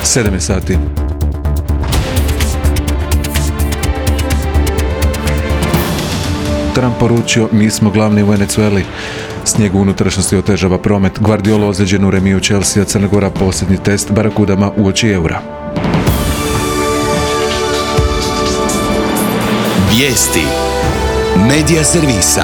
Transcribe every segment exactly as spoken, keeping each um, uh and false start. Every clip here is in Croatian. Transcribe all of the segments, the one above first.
sedam je sati. Trump poručio, mi smo glavni u Venezueli. Snijeg u unutrašnjosti otežava promet. Guardiola ozlijeđen u remiju Chelsea, Crna Gora posljednji test Barakudama uoči eura. Vijesti Medija servisa.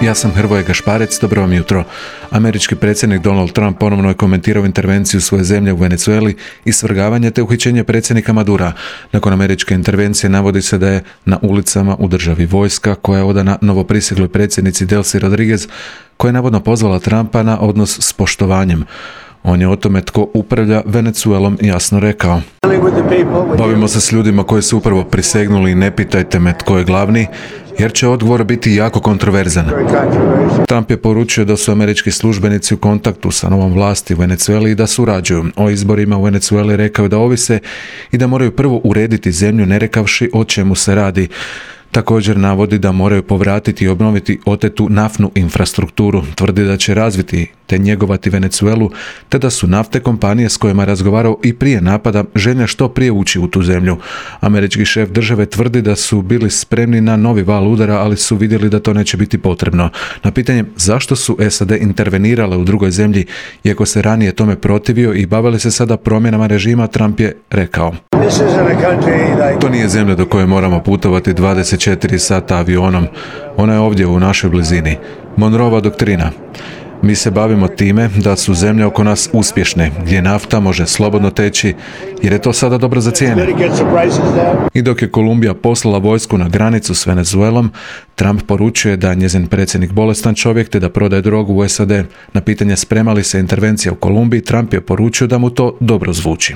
Ja sam Hrvoje Gašparec, dobro vam jutro. Američki predsjednik Donald Trump ponovno je komentirao intervenciju svoje zemlje u Venezueli i svrgavanje te uhićenje predsjednika Madura. Nakon američke intervencije navodi se da je na ulicama u državi vojska koja je odana novoprisegloj predsjednici Delcy Rodriguez, koja je navodno pozvala Trumpa na odnos s poštovanjem. On je o tome tko upravlja Venezuelom jasno rekao. Bavimo se s ljudima koji su upravo prisegnuli i ne pitajte me tko je glavni, jer će odgovor biti jako kontroverzan. Trump je poručio da su američki službenici u kontaktu sa novom vlasti u Venezueli i da surađuju. O izborima u Venezueli rekao da ovise i da moraju prvo urediti zemlju ne rekavši o čemu se radi. Također navodi da moraju povratiti i obnoviti otetu naftnu infrastrukturu. Tvrdi da će razviti te njegovati Venezuelu, te da su naftne kompanije s kojima je razgovarao i prije napada željne što prije ući u tu zemlju. Američki šef države tvrdi da su bili spremni na novi val udara, ali su vidjeli da to neće biti potrebno. Na pitanje zašto su S A D intervenirale u drugoj zemlji, iako se ranije tome protivio i bavili se sada promjenama režima, Trump je rekao: to nije zemlja do koje moramo putovati dvadeset četiri sata avionom. Ona je ovdje u našoj blizini. Monroeva doktrina. Mi se bavimo time da su zemlje oko nas uspješne, gdje nafta može slobodno teći, jer je to sada dobro za cijene. I dok je Kolumbija poslala vojsku na granicu s Venezuelom, Trump poručuje da je njezin predsjednik bolestan čovjek te da prodaje drogu u S A D. Na pitanje sprema li se intervencija u Kolumbiji, Trump je poručio da mu to dobro zvuči.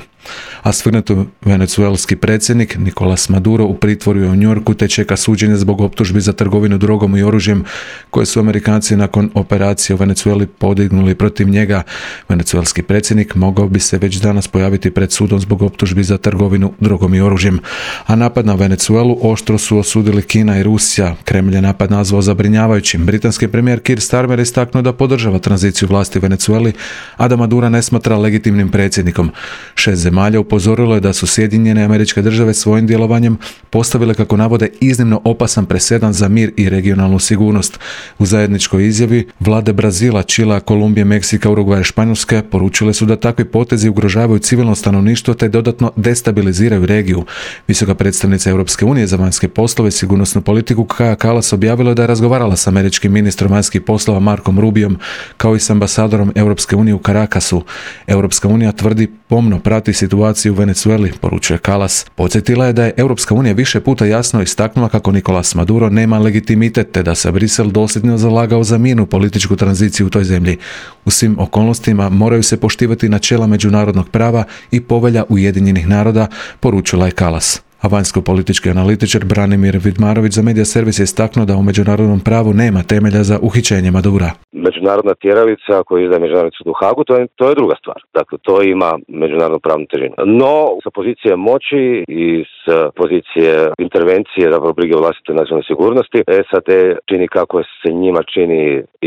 A svrgnuti venezuelski predsjednik Nicolás Maduro u pritvoru je u New Yorku te čeka suđenje zbog optužbi za trgovinu drogom i oružjem koje su Amerikanci nakon operacije u Venezueli podignuli protiv njega. Venezuelski predsjednik mogao bi se već danas pojaviti pred sudom zbog optužbi za trgovinu drogom i oružjem. A napad na Venezuelu oštro su osudili Kina i Rusija. Kremlj je napad nazvao zabrinjavajućim. Britanski premijer Keir Starmer istaknuo da podržava tranziciju vlasti u Venezueli, a da Madura ne smatra legitimnim predsjednikom. Šest zemalja upozorilo je da su Sjedinjene Američke Države svojim djelovanjem postavile, kako navode, iznimno opasan presedan za mir i regionalnu sigurnost. U zajedničkoj izjavi vlade Brazila, Čilea, Kolumbije, Meksika, Urugvaja i Španjolske poručile su da takvi potezi ugrožavaju civilno stanovništvo te dodatno destabiliziraju regiju. Visoka predstavnica Europske unije za vanjske poslove i sigurnosnu politiku Kaja Kallas objavila da je razgovarala s američkim ministrom vanjskih poslova Markom Rubiom kao i s ambasadorom Europske unije u Caracasu. Europska unija tvrdi pomno prati situaciju u Venezueli, poručuje Kallas. Podsjetila je da je Europska unija više puta jasno istaknula kako Nicolás Maduro nema legitimitet te da se Brisel dosljedno zalagao za mirnu političku tranziciju u toj zemlji. U svim okolnostima moraju se poštivati načela međunarodnog prava i povelja Ujedinjenih naroda, poručila je Kallas. A vanjsko-politički analitičar Branimir Vidmarović za Medija servis je istaknuo da u međunarodnom pravu nema temelja za uhićenje Madura. Međunarodna tjeravica koju izdaje Međunarodni sud u Hagu, to je, to je druga stvar. Dakle, to ima međunarodnu pravnu težinu. No, sa pozicije moći i s pozicije intervencije da brige o vlastitoj nacionalnoj sigurnosti, S A D čini kako se njima čini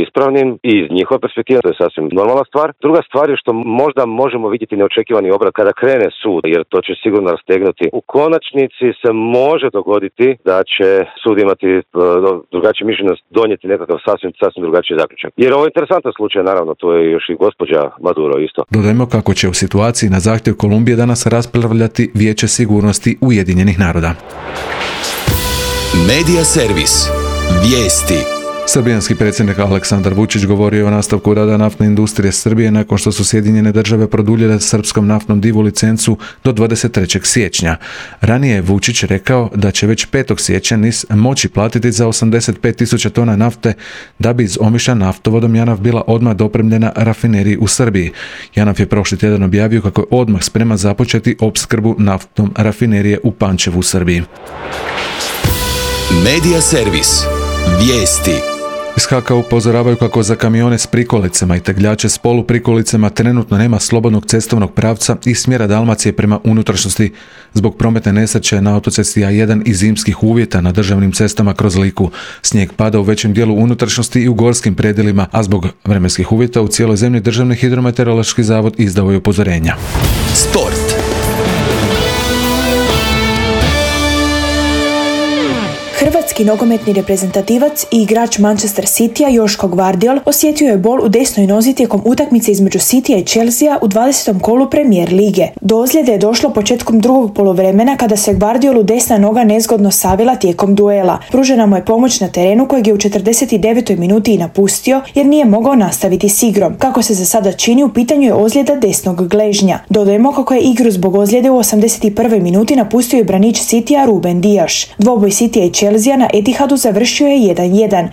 ispravnim i iz njihove perspektive, to je sasvim normalna stvar. Druga stvar je što možda možemo vidjeti neočekivani obrat kada krene sud, jer to će sigurno rastegnuti. U konačnici se može dogoditi da će sud imati drugačije mišljenje, donijeti nekakav sasvim, sasvim drugačiji zaključak. Jer ovo je interesantan slučaj, naravno, to je još i gospođa Maduro isto. Dodajmo kako će u situaciji na zahtjev Kolumbije danas raspravljati Vijeće sigurnosti Ujedinjenih naroda. Medija servis. Vijesti. Srbijanski predsjednik Aleksandar Vučić govorio o nastavku rada naftne industrije Srbije nakon što su Sjedinjene Države produljile srpskom naftnom divu licencu do dvadeset trećeg siječnja. Ranije je Vučić rekao da će već petog siječnja NIS moći platiti za osamdeset pet tisuća tona nafte da bi iz Omišlja naftovodom JANAF bila odmah dopremljena rafineriji u Srbiji. JANAF je prošli tjedan objavio kako je odmah spreman započeti opskrbu naftom rafinerije u Pančevu u Srbiji. Medija servis. Vijesti. Iz H K upozoravaju kako za kamione s prikolicama i tegljače s poluprikolicama trenutno nema slobodnog cestovnog pravca iz smjera Dalmacije prema unutrašnjosti zbog prometne nesreće na autocesti A jedan i zimskih uvjeta na državnim cestama kroz Liku. Snijeg pada u većem dijelu unutrašnjosti i u gorskim predjelima, a zbog vremenskih uvjeta u cijeloj zemlji Državni hidrometeorološki zavod izdao je upozorenja. Sport. Hrvatski nogometni reprezentativac i igrač Manchester Citya Joško Gvardiol osjetio je bol u desnoj nozi tijekom utakmice između Citya i Chelsea u dvadesetom kolu Premier lige. Do ozljede je došlo početkom drugog poluvremena kada se Gvardiolu desna noga nezgodno savila tijekom duela. Pružena mu je pomoć na terenu kojeg je u četrdeset devetoj minuti i napustio jer nije mogao nastaviti s igrom. Kako se za sada čini, u pitanju je ozljeda desnog gležnja. Dodajemo kako je igru zbog ozljede u osamdeset prvoj minuti napustio i branič Citya Ruben Dias. Dvoboj Citya i Chelsea na Etihadu završio je jedan jedan.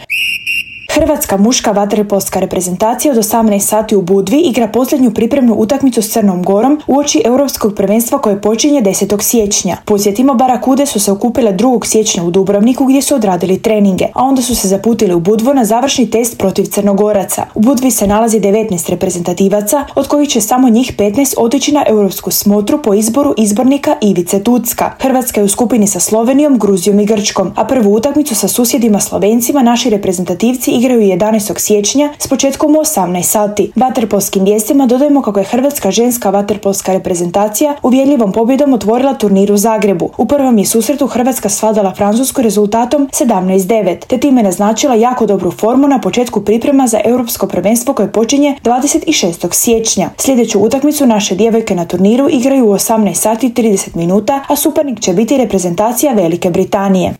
Hrvatska muška vaterpolska reprezentacija od osamnaest sati u Budvi igra posljednju pripremnu utakmicu s Crnom Gorom uoči europskog prvenstva koje počinje desetog siječnja. Podsjetimo, Barakude su se okupile drugog siječnja u Dubrovniku gdje su odradili treninge, a onda su se zaputili u Budvu na završni test protiv Crnogoraca. U Budvi se nalazi devetnaest reprezentativaca, od kojih će samo njih petnaest otići na europsku smotru po izboru izbornika Ivice Tucka. Hrvatska je u skupini sa Slovenijom, Gruzijom i Grčkom, a prvu utakmicu sa susjedima Slovencima naši reprezentativci igraju jedanaestog siječnja s početkom u osamnaest sati. Vaterpolskim vijestima dodajemo kako je hrvatska ženska vaterpolska reprezentacija uvjerljivom pobjedom otvorila turnir u Zagrebu. U prvom je susretu Hrvatska svladala Francusku rezultatom sedamnaest devet, te time naznačila jako dobru formu na početku priprema za europsko prvenstvo koje počinje dvadeset šestog siječnja. Sljedeću utakmicu naše djevojke na turniru igraju u osamnaest sati i trideset minuta, a suparnik će biti reprezentacija Velike Britanije.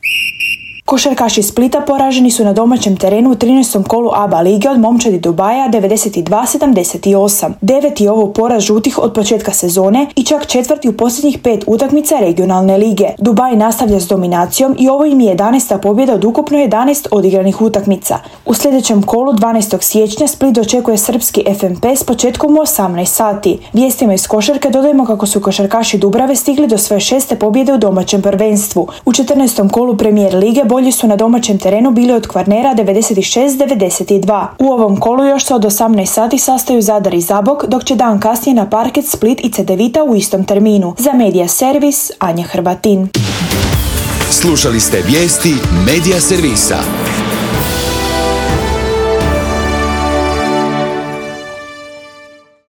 Košarkaši Splita poraženi su na domaćem terenu u trinaestom kolu A B A lige od momčadi Dubaja devedeset dva sedamdeset osam. Deveti je ovo poraz žutih od početka sezone i čak četvrti u posljednjih pet utakmica regionalne lige. Dubaj nastavlja s dominacijom i ovo im je jedanaesta pobjeda od ukupno jedanaest odigranih utakmica. U sljedećem kolu dvanaestog siječnja Split dočekuje srpski F M P s početkom u osamnaest sati. Vijestima iz košarke dodajemo kako su košarkaši Dubrave stigli do svoje šeste pobjede u domaćem prvenstvu. U četrnaestom kolu Premier lige bolji su na domaćem terenu bili od Kvarnera devedeset šest devedeset dva. U ovom kolu još se od osamnaest sati sastaju Zadar i Zabok, dok će dan kasnije na parket Split i Cedevita u istom terminu. Za Medija Servis, Anja Hrvatin. Slušali ste vijesti Medija Servisa.